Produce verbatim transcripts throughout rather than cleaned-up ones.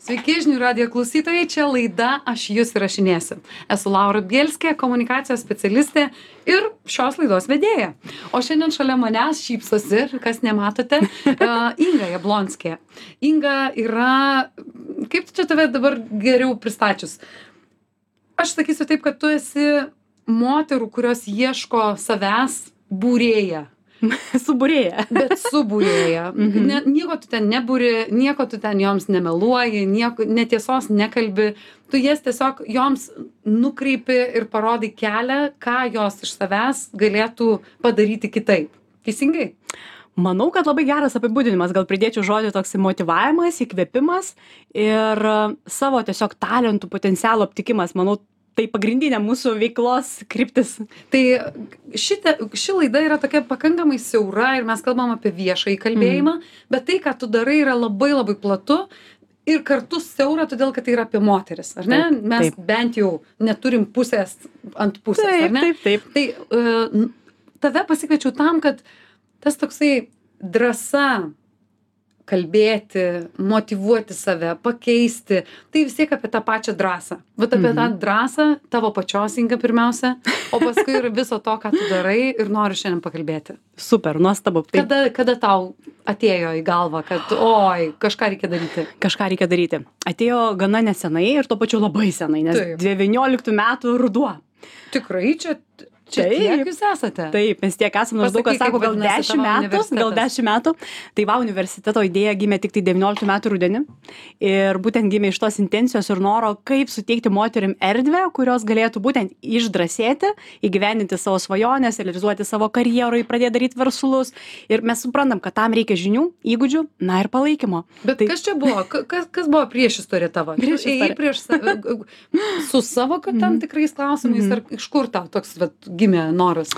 Sveiki, žinių radijo klausytojai, čia laida Aš jūs įrašinėsiu. Esu Laura Bielskė, komunikacijos specialistė ir šios laidos vedėja. O šiandien šalia manęs šypsosi, kas nematote, uh, Inga Jablonskė. Inga yra, kaip čia tave dabar geriau pristačius? Aš sakysiu taip, kad tu esi moterų, kurios ieško savęs būrėja. Subūrėja. Bet subūrėja. Mhm. Ne, nieko tu ten nebūri, nieko tu ten joms nemeluoji, nieko, netiesos nekalbi. Tu jas tiesiog joms nukreipi ir parodai kelią, ką jos iš savęs galėtų padaryti kitaip. Teisingai? Manau, kad labai geras apibūdinimas. Gal pridėčiau žodį toks motyvavimas, įkvėpimas ir savo tiesiog talentų potencialo aptikimas. Manau, tai pagrindinė mūsų veiklos kryptis. Tai šitą, ši laida yra tokia pakankamai siaura ir mes kalbam apie viešąjį kalbėjimą, mm. bet tai, ką tu darai, yra labai labai platu ir kartu siaura, todėl, kad tai yra apie moteris, ar ne? Taip, mes taip. bent jau neturim pusės ant pusės, Taip, ar ne? taip, taip. Tai uh, tave pasikviečiau tam, kad tas toksai drąsa kalbėti, motyvuoti save, pakeisti, tai vis tiek apie tą pačią drąsą. Vat apie mm-hmm. tą drąsą, tavo pačios, Inga, pirmiausia, o paskui ir viso to, ką tu darai ir noriu šiandien pakalbėti. Super, nuostabu. Tai... Kada, kada tau atėjo į galvą, kad oi, kažką reikia daryti? Kažką reikia daryti. Atėjo gana nesenai ir tuo pačiu labai senai, nes Taip. devynioliktų metų ruduo. Tikrai čia... Čia Taip. tiek jūs esate? Taip, mes tiek esame, maždaug, kas Pasakyk, sako, kaip gal vadinasi dešimt tavo metų, universitetas. gal dešimt metų. Tai va, universiteto idėja gimė tik tai devynioliktų metų rudenį. Ir būtent gimė iš tos intencijos ir noro, kaip suteikti moterim erdvę, kurios galėtų būtent išdrąsėti, įgyvendinti savo svajonės, realizuoti savo karjeroj, pradėti daryti verslus. Ir mes suprantam, kad tam reikia žinių, įgūdžių, na ir palaikymo. Bet tai... kas čia buvo? Ka- Kas, kas buvo prieš istoriją tavo? Prieš Tu ėjai istoriją. prieš save, su savo kad tam tikrais klausimais, ar iš kur tau toks vat, gimė noras?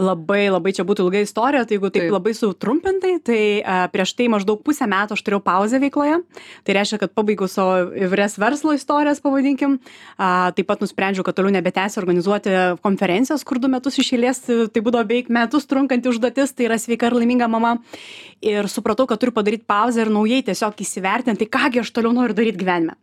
Labai, labai čia būtų ilga istorija, tai jeigu taip, Taip. labai sutrumpintai, tai a, prieš tai maždaug pusę metų aš turėjau pauzę veikloje. Tai reiškia, kad pabaigiau savo įvairias verslo istorijas, pavadinkim. A, taip pat nusprendžiau, kad toliau nebetęsiu organizuoti konferencijos, kur du metus iš eilės, tai būdavo beveik metus trunkanti užduotis, tai yra sveika ir laiminga mama. Ir supratau, kad turiu padaryti pauzę ir naujai tiesiog įsivertinti, tai kągi aš toliau noriu daryti gyvenime.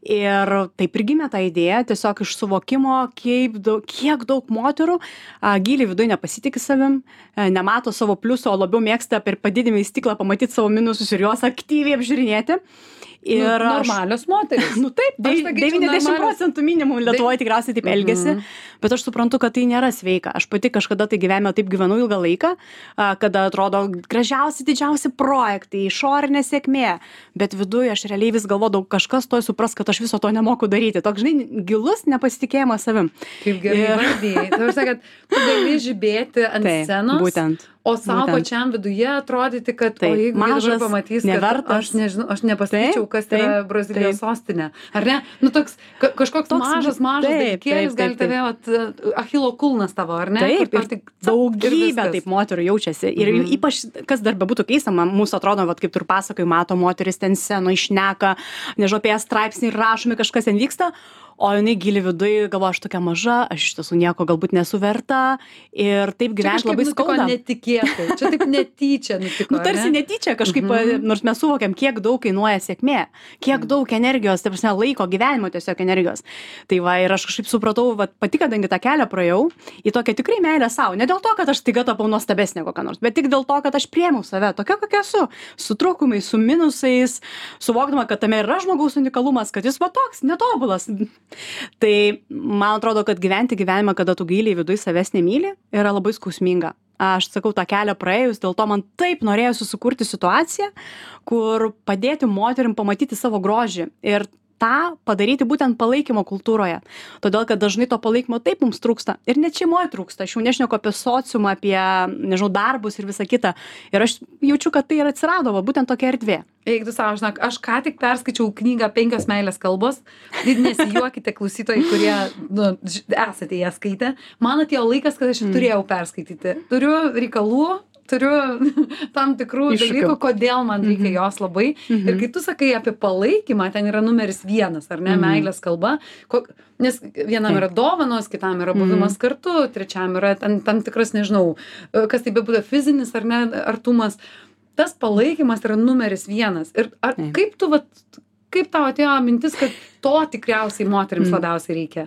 Ir taip ir gimė ta idėja, tiesiog iš suvokimo, kiek daug, kiek daug moterų a, giliai viduje nepasitikė savim, a, nemato savo pliusų, o labiau mėgsta per padidinimą į stiklą pamatyti savo minusus ir juos aktyviai apžiūrinėti. Ir nu, aš- normalios moteris. Nu taip, Aš sakyčiau, devyniasdešimt normalios- procentų minimum Lietuvoje tikriausiai taip elgesi, Mhm. bet aš suprantu, kad tai nėra sveika. Aš pati kažkada tai gyvenime taip gyvenau ilgą laiką, a, kada atrodo gražiausi, didžiausi projektai, išorinė sėkmė, bet viduje aš realiai vis galvodavau, kažkas toj supras, kad aš viso to nemoku daryti. Toks, žinai, gilus nepasitikėjimas savim. Kaip gerai Ir- vardėjai. Tai aš kad tu gali žibėti ant Taip, scenos, būtent. o savo būtent. pačiam viduje atrodyti, kad Taip, o jeigu jie mažas, dabar pamatys, kad nevertas. aš nežinau, aš nepasakyčiau, Taip, kas yra taip, Brazilijos taip. sostinė. Ar ne? Nu toks ka- kažkoks Toks- mažas, mažas taip, dalykėlis taip, gali taip, tave, vat, Achilo kulnas tavo, ar ne? Taip, Kur ir tau tik- daugybė viskas. taip moterų jaučiasi. Ir Mhm. ypač, kas dar bebūtų keista, man mūsų atrodo, vat, kaip tu ir pasakai, mato moteris ten seno, išneka, nežinau, apie ją straipsnį rašomi, kažkas ten vyksta, o jinai gili viduje galvoja, aš tokia maža, aš iš tiesų nieko galbūt nesu verta ir taip Čia gyventi kažkaip labai nutiko skauda. netikėtai. Čia taip netyčia nutiko. Nu, ar tarsi ne? netyčia kažkaip, Mhm. nors mes suvokiam, kiek daug kainuoja sėkmė, kiek daug energijos, tai prasme, laiko, gyvenimo tiesiog energijos. Tai va, ir aš kažkaip supratau, va, pati, kadangi tą kelią praėjau, į tokią tikrai meilę savo. Ne dėl to, kad aš staiga tapau nuostabesnė kokia nors, bet tik dėl to, kad aš priėmiau save tokia, kokia esu. Su trūkumais, su minusais, suvokdama, kad tame yra žmogaus unikalumas, kad jis va toks, netobulas. Tai man atrodo, kad gyventi gyvenimą, kada tu giliai viduje savęs nemyli, yra labai skausminga. Aš sakau, tą kelią praėjus, dėl to man taip norėjosi sukurti situaciją, kur padėti moterim pamatyti savo grožį ir tą padaryti būtent palaikymo kultūroje. Todėl, kad dažnai to palaikymo taip mums trūksta. Ir net šeimoje trūksta. Aš jau nešneku apie sociumą, apie, nežinau, darbus ir visą kitą. Ir aš jaučiu, kad tai ir atsirado, va, būtent tokia erdvė. Eik tu savo, žinok, aš ką tik perskaičiau knygą Penkios meilės kalbos. Ir nesijuokite klausytojai, kurie nu, ž- esate ją skaitę. Man atėjo laikas, kad aš mm. turėjau perskaityti. Turiu reikalų, turiu tam tikrų Iššūkių. dalykų, kodėl man reikia Mhm. jos labai. Mhm. Ir kai tu sakai apie palaikymą, ten yra numeris vienas, ar ne, Mhm. meilės kalba. Ko, nes vienam Taip. yra dovanos, kitam yra buvimas kartu, trečiam yra tam, tam tikras, nežinau, kas tai bebūtų fizinis ar ne, artumas. Tas palaikymas yra numeris vienas. Ir ar, Taip. kaip tu, vat, kaip tau atėjo mintis, kad to tikriausiai moterims labiausiai reikia?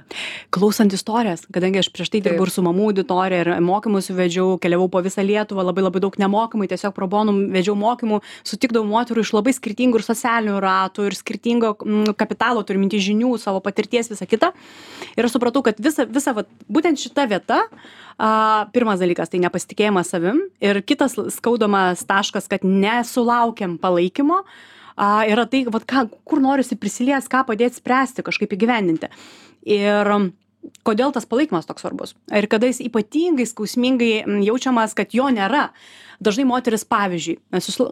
Klausant istorijas, kadangi aš prieš tai dirbu ir su mamų auditorija, ir mokymus vedžiau, keliavau po visą Lietuvą, labai labai daug nemokymai, tiesiog pro bono vedžiau mokymų, sutikdavau moterų iš labai skirtingų ir socialinių ratų, ir skirtingo mm, kapitalo, turiu minti žinių, savo patirties, visą kitą. Ir aš supratau, kad visa, visa va, būtent šita vieta, a, pirmas dalykas, tai nepasitikėjimas savim, ir kitas skaudamas taškas, kad nesulaukiam palaikymo, a, yra tai, vat, ką, kur norisi prisilies, ką padėti spręsti, kažkaip įgyvendinti. Ir kodėl tas palaikymas toks svarbus? Ir kada jis ypatingai skausmingai jaučiamas, kad jo nėra. Dažnai moteris, pavyzdžiui, susila...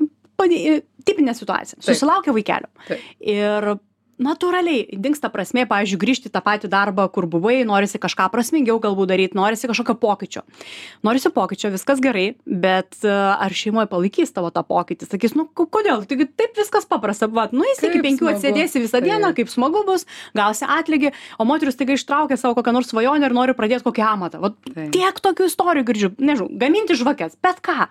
tipinė situacija, susilaukia vaikelio. Taip. Ir natūraliai dingsta prasmė, pavyzdžiui, grįžti tą patį darbą, kur buvai, norisi kažką prasmingiau galbūt daryti, norisi kažkokio pokyčio. Norisi pokyčio, viskas gerai, bet ar šeimoje palaikys tavo tą pokytį? Sakys, nu kodėl? Taigi taip viskas paprasta, va, nu jis iki penkių atsėdėsi visą dieną, kaip smagu bus, gausi atlygį, o moteris taiga ištraukia savo kokią nors svajonę ir nori pradėti kokį amatą. Va, tiek tokių istorijų girdžiu, nežinau, gaminti žvakes, bet ką.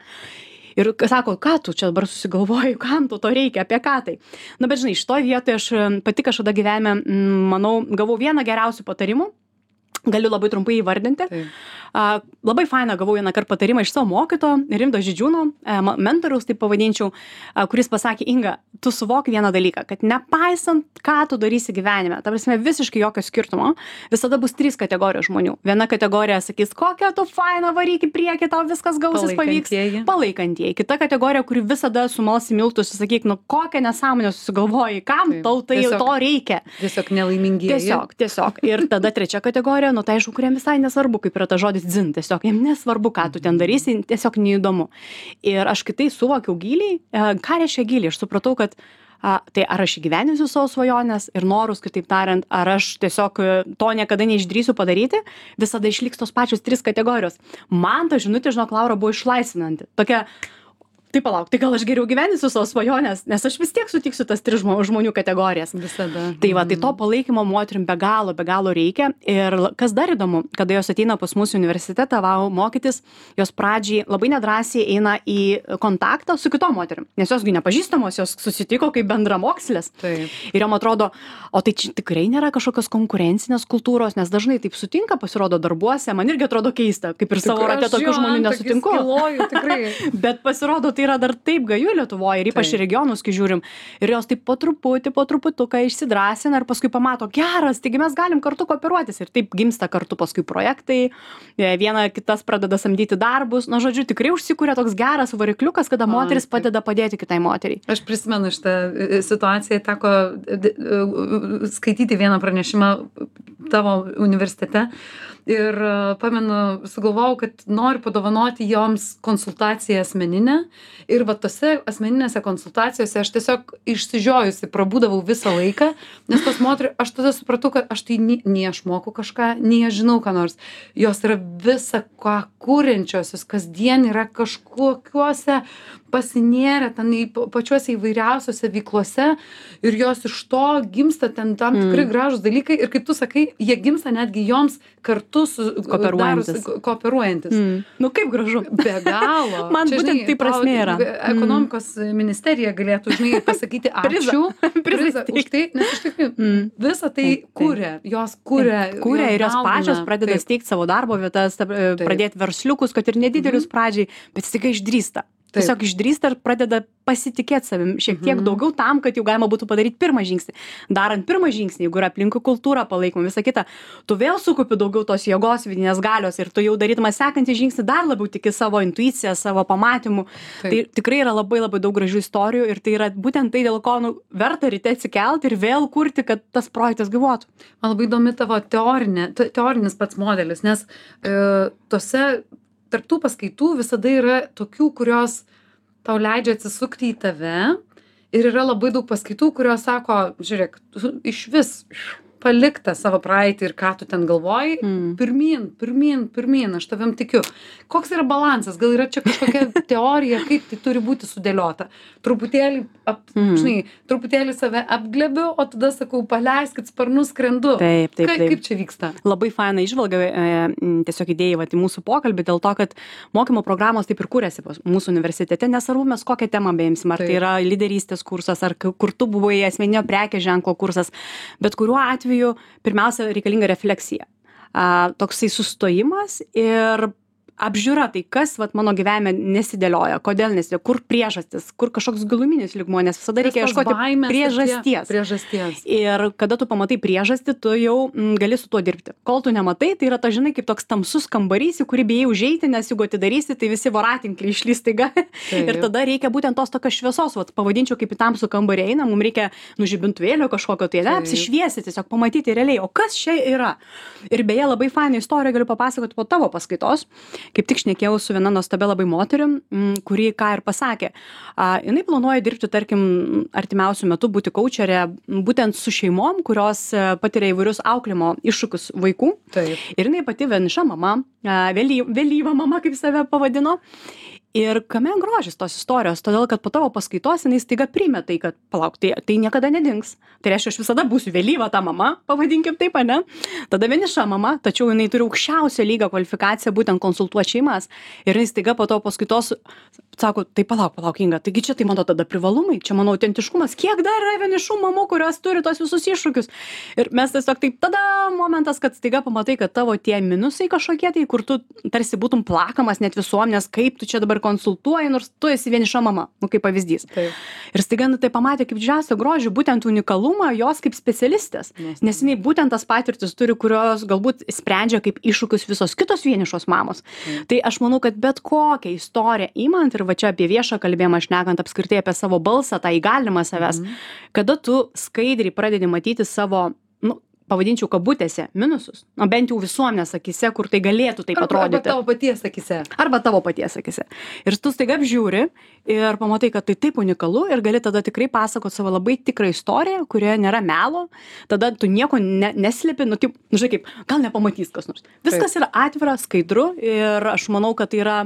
Ir sako, ką tu čia dabar susigalvoji, kam tu to reikia, apie ką tai. Na, bet žinai, šitoj vietoje aš pati kažkada gyvenime, manau, gavau vieną geriausių patarimų, galiu labai trumpai įvardinti. Taip. A, labai faina gavau vieną kartą patarimą iš savo mokyto, Rimdo Žydžiūno, mentoriaus, taip pavadinčiau, a, kuris pasakė, Inga, tu suvok vieną dalyką, kad nepaisant, ką tu darysi gyvenime, ta prasme visiškai jokio skirtumo, visada bus trys kategorijos žmonių. Viena kategorija sakys, kokia tu faina, varyk į priekį, tau viskas gausis, pavyks. Palaikantieji. Kita kategorija, kuri visada sumalsi miltus, sakyk, nu kokią nesąmonę susigalvoji, kam taip, tau tai tiesiog, to reikia. Tiesiog nelaimingieji. Tiesiog, tiesiog. Ir tada trečia kategorija, nu tai aišku, kuriem visai nesvarbu, kaip yra ta žodis dzin, tiesiog jiem nesvarbu, ką tu ten darysi, tiesiog neįdomu. Ir aš kitai suvokiau giliai, ką reiškia giliai, aš supratau, kad a, tai ar aš įgyvendinsiu savo svajonės ir norus, kitaip tariant, ar aš tiesiog to niekada neišdrįsiu padaryti, visada išliks tos pačios trys kategorijos. Man ta žinutė, žinok, Laura, buvo išlaisvinanti. Tokia, tai palauk, tai gal aš geriau gyvensiu savo svajonės, nes aš vis tiek sutiksiu tas tris žmonių kategorijas. Visada. Tai va, tai to palaikymo moterim be galo, be galo reikia. Ir kas dar įdomu, kada jos ateina pas mūsų universitetą vau mokytis, jos pradžiai labai nedrąsiai eina į kontaktą su kitom moterim, nes josgi nepažįstamos, jos susitiko kaip bendramokslės. Taip. Ir jom atrodo, o tai čia tikrai nėra kažkokios konkurencinės kultūros, nes dažnai taip sutinka, pasirodo darbuose, man irgi atrodo keista, kaip ir savo rate tokių žmonių nesutinku. Skiloju, tikrai. Bet pasirodo, tai yra dar taip gaju Lietuvoje ir ypač regionus, kai žiūrim. Ir jos taip po truputį, po truputuką išsidrasina ir paskui pamato, geras, taigi mes galim kartu kooperuotis. Ir taip gimsta kartu paskui projektai, viena kitas pradeda samdyti darbus. Na, žodžiu, tikrai užsikūrė toks geras varikliukas, kada moteris padeda padėti kitai moteriai. Aš prisimenu šitą situaciją, teko skaityti vieną pranešimą tavo universitete. Ir pamenu, sugalvojau, kad noriu padovanoti joms konsultaciją asmeninę. Ir va tose asmeninėse konsultacijose aš tiesiog išsižiojusi prabūdavau visą laiką, nes tos moterys, aš tada supratau, kad aš tai nei, nei aš moku kažką, nei aš žinau ką nors. Jos yra visa ką kuriančiosios, kasdien yra kažkokiuose pasinėrę ten į pačiuose įvairiausiose veiklose ir jos iš to gimsta ten tam tikrai mm. gražūs dalykai ir kaip tu sakai, jie gimsta netgi joms kartu su kooperuojantis. kooperuojantis. Mm. Nu kaip gražu. Be galo. Man čia, būtent žinai, tai prasmė yra. Ekonomikos mm. ministerija galėtų, žinai, pasakyti ačiū prizą už tai, nes iš tikrųjų mm. visą tai kuria, jos kuria. Kuria ir jos pačios pradeda steigti savo darbo vietas, pradėti versliukus, kad ir nedidelius mm. pradžiai, bet tik išdrįsta. Taip. Tiesiog išdrįsta ir pradeda pasitikėti savim šiek tiek mm-hmm. daugiau tam, kad jau galima būtų padaryti pirmą žingsnį. Darant pirmą žingsnį, jeigu yra aplinkui kultūra, palaikoma, visa kita, tu vėl sukupi daugiau tos jėgos, vidinės galios ir tu jau darydamas sekantį žingsnį dar labiau tiki savo intuiciją, savo pamatymu. Taip. Tai tikrai yra labai labai daug gražių istorijų ir tai yra būtent tai, dėl ko nu, verta ryte atsikelti ir vėl kurti, kad tas projektas gyvuotų. Man labai įdomi tavo teorinė, teorinis pats modelis, nes e, tose tarptų paskaitų visada yra tokių, kurios tau leidžia atsisukti į tave ir yra labai daug paskaitų, kurios sako, žiūrėk, iš vis palik tą savo praeitį ir ką tu ten galvoji, Mm. pirmyn, pirmyn, pirmyn, aš tavim tikiu. Koks yra balansas? Gal yra čia kažkokia teorija, kaip tai turi būti sudėliota? Truputėlį, ap, Mm. žinai, truputėlį save apglebiu, o tada sakau, paleiskit sparnus, skrendu. Taip, taip, Ka, taip. kaip čia vyksta? Labai faina išvalga, e, m, tiesiog idėjai vat, į mūsų pokalbį, dėl to, kad mokymo programos taip ir kūrėsi pas mūsų universitete, nesvarbu mes kokią temą beimsim, ar Taip. tai yra lyderystės kursas, ar k- kur tu buvai asmeninio prekės ženklo kursas, bet kuriuo atveju pirmiausia reikalinga refleksija. A, toksai sustojimas ir apžiūra, tai kas vat, mano gyvenime nesidėlioja, kodėl nesidėlioja, kur priežastis, kur kažkoks giluminis lygmuo, nes visada reikia Kas tos ieškoti baimės ir tie- priežasties. Priežasties. Ir kada tu pamatai priežastį, tu jau mm, gali su tuo dirbti. Kol tu nematai, tai yra ta, žinai, kaip toks tamsus kambarys, į kurį bijai užeiti, nes jeigu atidarysi, tai visi voratinkliai išlys taiga. Ir tada reikia būtent tos tokios šviesos, vat, pavadinčiau kaip į tamsų kambarį eina, mums reikia nužibintuvėlio kažkokio, tai ne, Taip. apsišviesti, tiesiog pamatyti realiai, o kas čia yra. Ir beje, labai faina istorija galiu papasakoti po tavo paskaitos. Kaip tik šnekėjau su viena nuostabia labai moterim, mm, kuri ką ir pasakė. A, jinai planuoja dirbti, tarkim, artimiausių metų būti kaučerė būtent su šeimom, kurios e, patiria įvairius auklimo iššūkius vaikų. Taip. Ir jinai pati vieniša mama, a, vėly, vėlyva mama, kaip save pavadino. Ir kame grožis tos istorijos, todėl kad po tavo paskaitos jinai staiga priėmė tai, kad palauk, tai, tai niekada nedings. Tai reiškia, aš visada būsiu vėlyva ta mama, pavadinkim taip, ne? Tada vieniša mama, tačiau jinai turi aukščiausio lygio kvalifikaciją būtent konsultuoti šeimas. Ir jinai staiga po tavo paskaitos sako, tai palauk, palauk, Inga, taigi čia tai mano tada privalumai, čia mano autentiškumas, kiek dar yra vienišų mamų, kurios turi tos visus iššūkius. Ir mes tiesiog taip, tada momentas, kad staiga pamatai, kad tavo tie minusai kažkokie, tai kur tu tarsi būtum plakamas net visuomenės, kaip tu čia dabar konsultuoji, nors tu esi vieniša mama, nu kaip pavyzdys. Taip. Ir staiga nu, tai pamatė kaip didžiausią grožį, būtent unikalumą jos kaip specialistės. Nuostabu. Nes jinai būtent tas patirtis turi, kurios galbūt sprendžia kaip iššūkius visos kitos vienišos mamos. Tai aš manau, kad bet kokią istoriją įmant ir va čia apie viešą kalbėjimą šnekant apskritai apie savo balsą, tą įgalimą savęs, kada tu skaidriai pradedi matyti savo, nu, pavadinčiau kabutėse, minusus, nu, bent jau visuomenės akise, kur tai galėtų taip Arba, arba atrodyti. tavo paties akise. Arba tavo paties akise. Ir tu staiga apžiūri ir pamatai, kad tai taip unikalu ir gali tada tikrai pasakoti savo labai tikrą istoriją, kurioje nėra melo, tada tu nieko ne, neslėpi, nu, kaip, nu, žinai, kaip, gal nepamatys kas nors. Viskas yra atvira, skaidru ir aš manau, kad tai yra,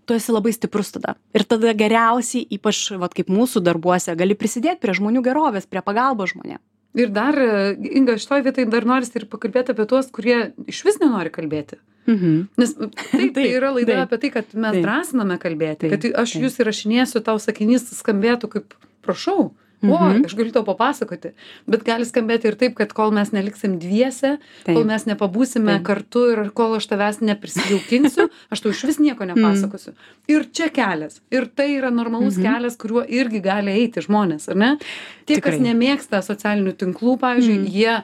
tu esi labai stiprus tada. Ir tada geriausiai, ypač vat, kaip mūsų darbuose, gali prisidėti prie žmonių gerovės, prie pagalbos žmonėms. Ir dar, Inga, šitoj vietoj dar norisi ir pakalbėti apie tuos, kurie iš vis nenori kalbėti. Mhm. Nes taip, tai Taip, yra laida taip. apie tai, kad mes Taip. drąsiname kalbėti, Taip, kad aš taip. jūs įrašinėsiu, tau sakinys skambėtų kaip, prašau, o, Mhm. aš galiu tau papasakoti. Bet gali skambėti ir taip, kad kol mes neliksim dviese, Taip. kol mes nepabūsime Taip. kartu ir kol aš tavęs neprisijaukinsiu, aš tau iš vis nieko nepasakosiu. Ir čia kelias. Ir tai yra normalus Mhm. kelias, kuriuo irgi gali eiti žmonės, ar ne? Tie, kas Tikrai. nemėgsta socialinių tinklų, pavyzdžiui, Mhm. jie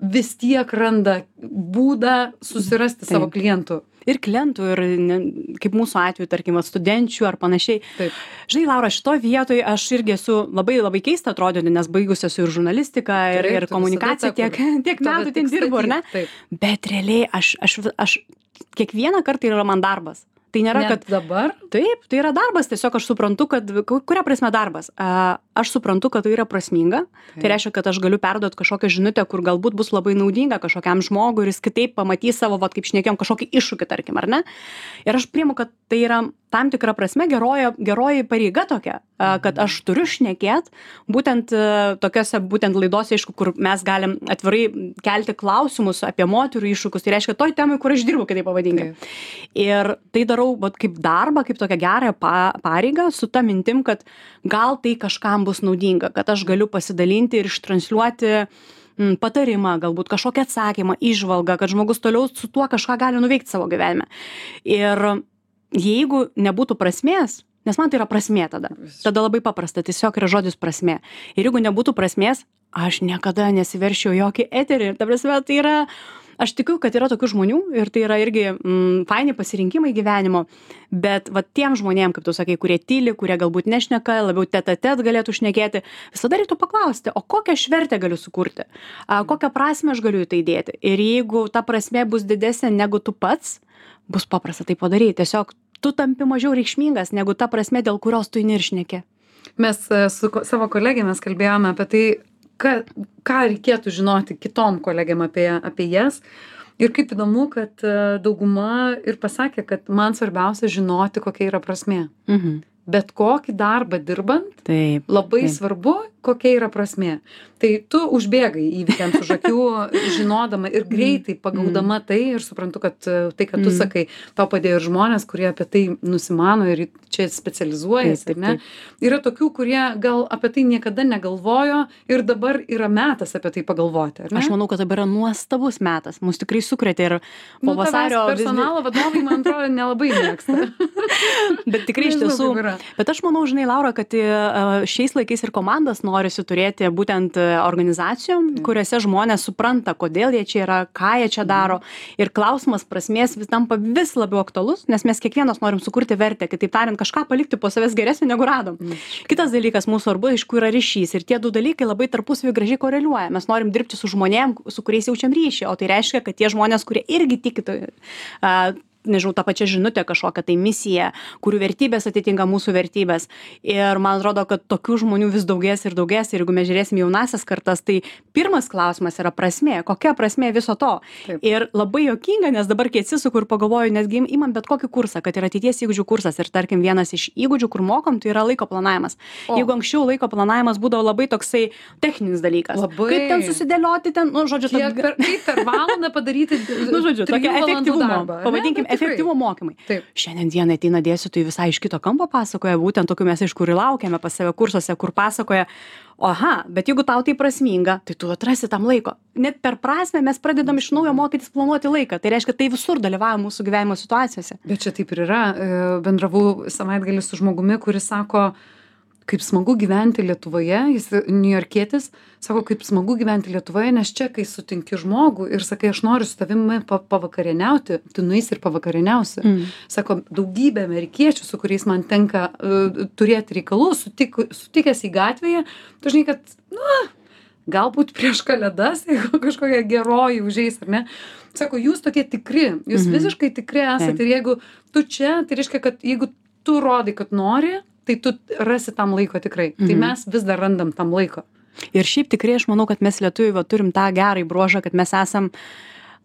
vis tiek randa būdą susirasti Taip. savo klientų. Ir klientų, ir ne, kaip mūsų atveju, tarkim, vat, studenčių ar panašiai. Taip. Žinai, Laura, šitoje vietoje aš irgi esu labai labai keista atrodyti, nes baigusi esu ir žurnalistiką, ir, Taip, ir tu komunikaciją visada tiek, ta, tiek Tave metų tik ten dirbu, ar ne? statyt. Taip. Bet realiai aš, aš, aš kiekvieną kartą yra man darbas. Tai nėra, Net kad dabar? taip, tai yra darbas, tiesiog aš suprantu, kad, ku- kuria prasme darbas. A, Aš suprantu, kad tai yra prasminga. Tai Taip. reiškia, kad aš galiu perduoti kažkokią žinutę, kur galbūt bus labai naudinga kažkokiam žmogui ir jis kitaip pamatys savo, vat, kaip šnekėjom, kažkokį iššūkį, tarkim, ar ne? Ir aš priimu, kad tai yra tam tikra prasme geroji, geroji pareiga tokia, a, kad aš turiu šnekėt būtent a, tokiose būtent laidose, aišku, kur mes galim atvirai kelti klausimus apie moterų iššūkius. Tai reiškia, toj temai, kur aš dirbu, kitaip pavadinkim. Taip. Ir tai darau vat, kaip darbą, kaip tokią gerąją pa, pareigą su ta mintim, kad gal tai kažkam bus naudinga, kad aš galiu pasidalinti ir ištransliuoti mm, patarimą, galbūt kažkokią atsakymą, įžvalgą, kad žmogus toliau su tuo kažką gali nuveikti savo gyvenime. Ir jeigu nebūtų prasmės, nes man tai yra prasmė tada, tada labai paprasta, tiesiog yra žodis prasmė. Ir jeigu nebūtų prasmės, aš niekada nesiveršiau jokį eterį. Ta prasme, tai yra... Aš tikiu, kad yra tokių žmonių ir tai yra irgi mm, faini pasirinkimai gyvenimo, bet va tiem žmonėm, kaip tu sakai, kurie tyli, kurie galbūt nešneka, labiau tet-a-tet galėtų šnekėti, visada reiktų paklausti, o kokią aš vertę galiu sukurti, a, kokią prasmę aš galiu į tai dėti. Ir jeigu ta prasmė bus didesnė negu tu pats, bus paprasta tai padaryti. Tiesiog tu tampi mažiau reikšmingas negu ta prasmė, dėl kurios tu įniršneki. Mes e, su ko- savo kolegėmis kalbėjome apie tai, ką, ką reikėtų žinoti kitom kolegėm apie, apie jas. Ir kaip įdomu, kad dauguma ir pasakė, kad man svarbiausia žinoti, kokia yra prasmė. Mhm. Bet kokį darbą dirbant, Taip, labai taip. svarbu, kokia yra prasmė. Tai tu užbėgai įvykiams už akių, žinodama ir greitai pagaudama tai ir suprantu, kad tai, kad tu Mm. sakai, tau padėjo ir žmonės, kurie apie tai nusimano ir čia specializuojasi, Taip, taip, ar ne? Yra tokių, kurie gal apie tai niekada negalvojo ir dabar yra metas apie tai pagalvoti, ar ne? Aš manau, kad dabar yra nuostabus metas. Mus tikrai sukrėtė ir po Nu, tavęs vasario... vis- personalo vadovai, man atrodo, nelabai mėgsta. Bet tikrai iš Nežinau, tiesų. kaip yra. Bet aš manau, žinai, Laura, kad e, šiais laikais ir komandas norisi turėti būtent e, organizacijom, kuriuose žmonės supranta, kodėl jie čia yra, ką jie čia daro. Ir klausimas prasmės vis tampa vis labiau aktualus, nes mes kiekvienas norim sukurti vertę, kitaip tariant, kažką palikti po savęs geresnio negu radom. Kitas dalykas mūsų svarbu, iš kur yra ryšys. Ir tie du dalykai labai tarpusavy gražiai koreliuoja. Mes norim dirbti su žmonėm, su kuriais jaučiam ryšį, o tai reiškia, kad tie žmonės, kurie irgi tiki, uh, nežinau, tą pačią žinutę, kažkokią tai misiją, kurių vertybės atitinka mūsų vertybės. Ir man atrodo, kad tokių žmonių vis daugės ir daugės. Ir jeigu mes žiūrėsim jaunasias kartas, tai pirmas klausimas yra prasmė. Kokia prasmė viso to? Taip. Ir labai juokinga, nes dabar kai atsisuku ir pagalvoju, nesgi imam bet kokį kursą, kad yra ateities įgūdžių kursas. Ir tarkim, vienas iš įgūdžių, kur mokom, tai yra laiko planavimas. O. Jeigu anksčiau laiko planavimas būdavo labai toksai techninis dalykas. Labai. Kaip ten susidėlioti, ten, nu, žodžiu, Kiek tad- per, kaip per valandą padaryti nu, žodžiu, trijų tokia valandų efektyvumo, darbą, ane? pavadinkim, Bet tikrai. efektyvumo mokymai. Taip. Šiandien dienai ateina dėstytojai visai iš kito kampo pasakoja, būtent tokių mes iš kur ir laukiame pas save kursuose, kur pasakoja, aha, bet jeigu tau tai prasminga, tai tu atrasi tam laiko. Net per prasmę mes pradedam iš naujo mokytis planuoti laiką. Tai reiškia, tai visur dalyvauja mūsų gyvenimo situacijose. Bet čia taip ir yra. E, Bendravau savaitgalį su žmogumi, kuris sako, kaip smagu gyventi Lietuvoje, jis niujorkietis, sako, kaip smagu gyventi Lietuvoje, nes čia, kai sutinki žmogų ir sakai, aš noriu su tavimi pa pavakarieniauti, tu nueisi ir pavakarieniausi. Mm. Sako, daugybė amerikiečių, su kuriais man tenka uh, turėti reikalų, sutik, sutikęs į gatvėje, tu žinai, kad, na, galbūt prieš kalėdas, jeigu kažkokia geroji užeis, ar ne? Sako, jūs tokie tikri, jūs Mhm. visiškai tikri esate. Taip. Ir jeigu tu čia, tai reiškia, kad jeigu tu rodai, kad nori, tai tu rasi tam laiko tikrai. Tai Mhm. mes vis dar randam tam laiko. Ir šiaip tikrai aš manau, kad mes lietuviai va, turim tą gerą bruožą, kad mes esam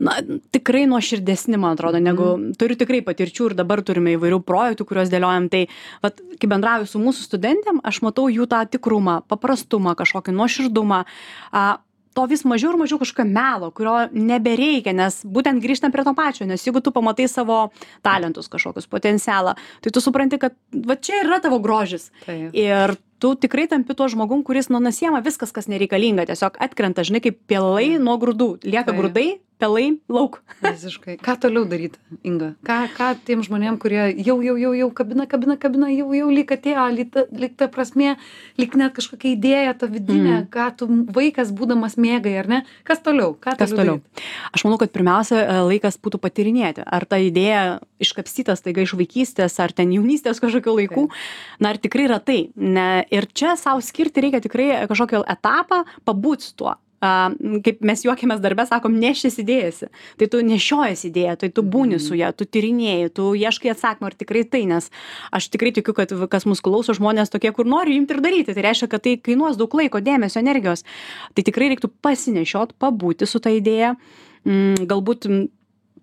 na, tikrai nuoširdesni, man atrodo, negu turiu tikrai patirčių ir dabar turime įvairių projektų, kuriuos dėliojam. Tai, vat, kai bendrauju su mūsų studentėm, aš matau jų tą tikrumą, paprastumą, kažkokį nuoširdumą. A, to vis mažiau ir mažiau kažkokio melo, kurio nebereikia, nes būtent grįžtam prie to pačio, nes jeigu tu pamatai savo talentus kažkokius, potencialą, tai tu supranti, kad va čia yra tavo grožis. Taip. Ir tu tikrai tampi tuo žmogum, kuris nu nasiema viskas, kas nereikalinga, tiesiog atkrenta, žinai, kaip pelai nuo grūdų. Lieka Taip. grūdai, pelai lauk. Visiškai. Ką toliau daryti, Inga? Ką, ką tiem žmonėm, kurie jau, jau, jau, jau kabina, kabina, kabina, jau, jau lyg atėjo, lyg ta, lyg ta prasmė, lyg net kažkokia idėja, ta vidinė, Mm. ką tu vaikas būdamas mėgai, ar ne? Kas toliau? Ką Kas toliau? Aš manau, kad pirmiausia e, laikas būtų patirinėti, ar ta idėja iškapstytas taiga iš vaikystės, ar ten jaunystės kažkokių laikų. Na, ar tikrai yra tai. Ne, ir čia savo skirti reikia tikrai kažkokį etapą pabūti su tuo. A, kaip mes juokiamės darbę, sakom, nešis idėjasi. Tai tu nešiojas idėją, tai tu būni su ją, tu tyrinėjai, tu ieškai atsakymą, ar tikrai tai, nes aš tikrai tikiu, kad kas mus klauso žmonės tokie, kur nori imti ir daryti. Tai reiškia, kad tai kainuos daug laiko, dėmesio, energijos. Tai tikrai reiktų pasinešiot, pabūti su ta idėja, mm, galbūt mm,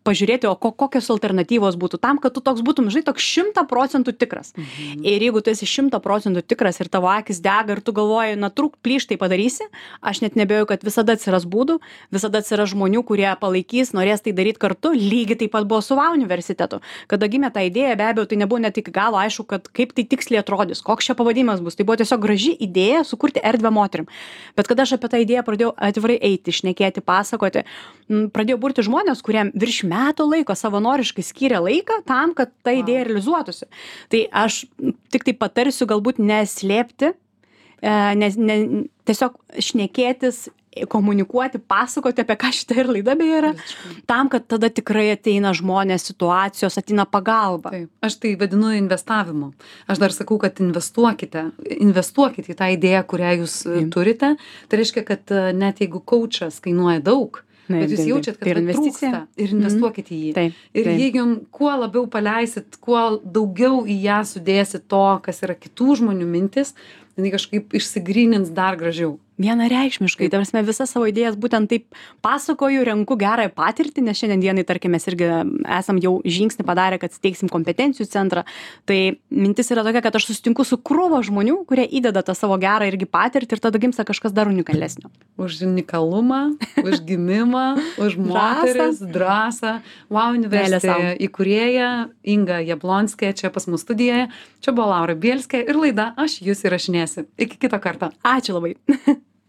pažiūrėti, o ko, kokios alternatyvos būtų tam, kad tu toks būtum, žinai, toks šimta procentų tikras. Mhm. Ir jeigu tu esi šimta procentų tikras ir tavo akis dega ir tu galvoji, na, trūk, plyš tai padarysi, aš net nebejoju, kad visada atsiras būdų, visada atsiras žmonių, kurie palaikys, norės tai daryti kartu. Lygiai taip pat buvo su V A universitetu. Kada gimė ta idėja, be abejo, tai nebuvo net iki galo aišku, kad kaip tai tiksliai atrodys, koks čia pavadinimas bus. Tai buvo tiesiog graži idėja sukurti erdvę moterim. Bet kada aš apie tą idėją pradėjau atvirai eiti, šnekėti, pasakoti, m, pradėjau burti žmonės, kuriem virš metų laiko savanoriškai skiria laiką tam, kad ta idėja realizuotųsi. Tai aš tik tai patarsiu galbūt neslėpti, e, nes ne, tiesiog šnekėtis, komunikuoti, pasakoti, apie ką šitą ir laida beje yra, tam, kad tada tikrai ateina žmonės, situacijos, ateina pagalba. Taip. Aš tai vadinu investavimu. Aš dar sakau, kad investuokite, investuokite į tą idėją, kurią jūs e, turite. Tai reiškia, kad e, net jeigu coachas kainuoja daug, Taip, bet jūs taip, jaučiat, kad tai yra vat investicija. trūksta ir investuokite į jį. Taip, Ir taip. jeigu jum kuo labiau paleisit, kuo daugiau į ją sudėsit to, kas yra kitų žmonių mintis, jinai kažkaip išsigrynins dar gražiau. Vienareikšmiškai, ta prasme, visas savo idėjas būtent taip pasakoju, renku gerąją patirtį, nes šiandien dienai, tarkim, mes irgi esam jau žingsnį padarę, kad steigsim kompetencijų centrą. Tai mintis yra tokia, kad aš susitinku su krūva žmonių, kurie įdeda tą savo gerą irgi patirtį ir tada gimsta kažkas dar unikalesnio. Už unikalumą, už gimimą, už moteris, drąsą. Wow University įkūrėja Inga Jablonskė čia pas mus studijoje. Čia buvo Laura Bielskė ir laida Aš jus įrašinėsiu. Iki kito karto. Ačiū labai.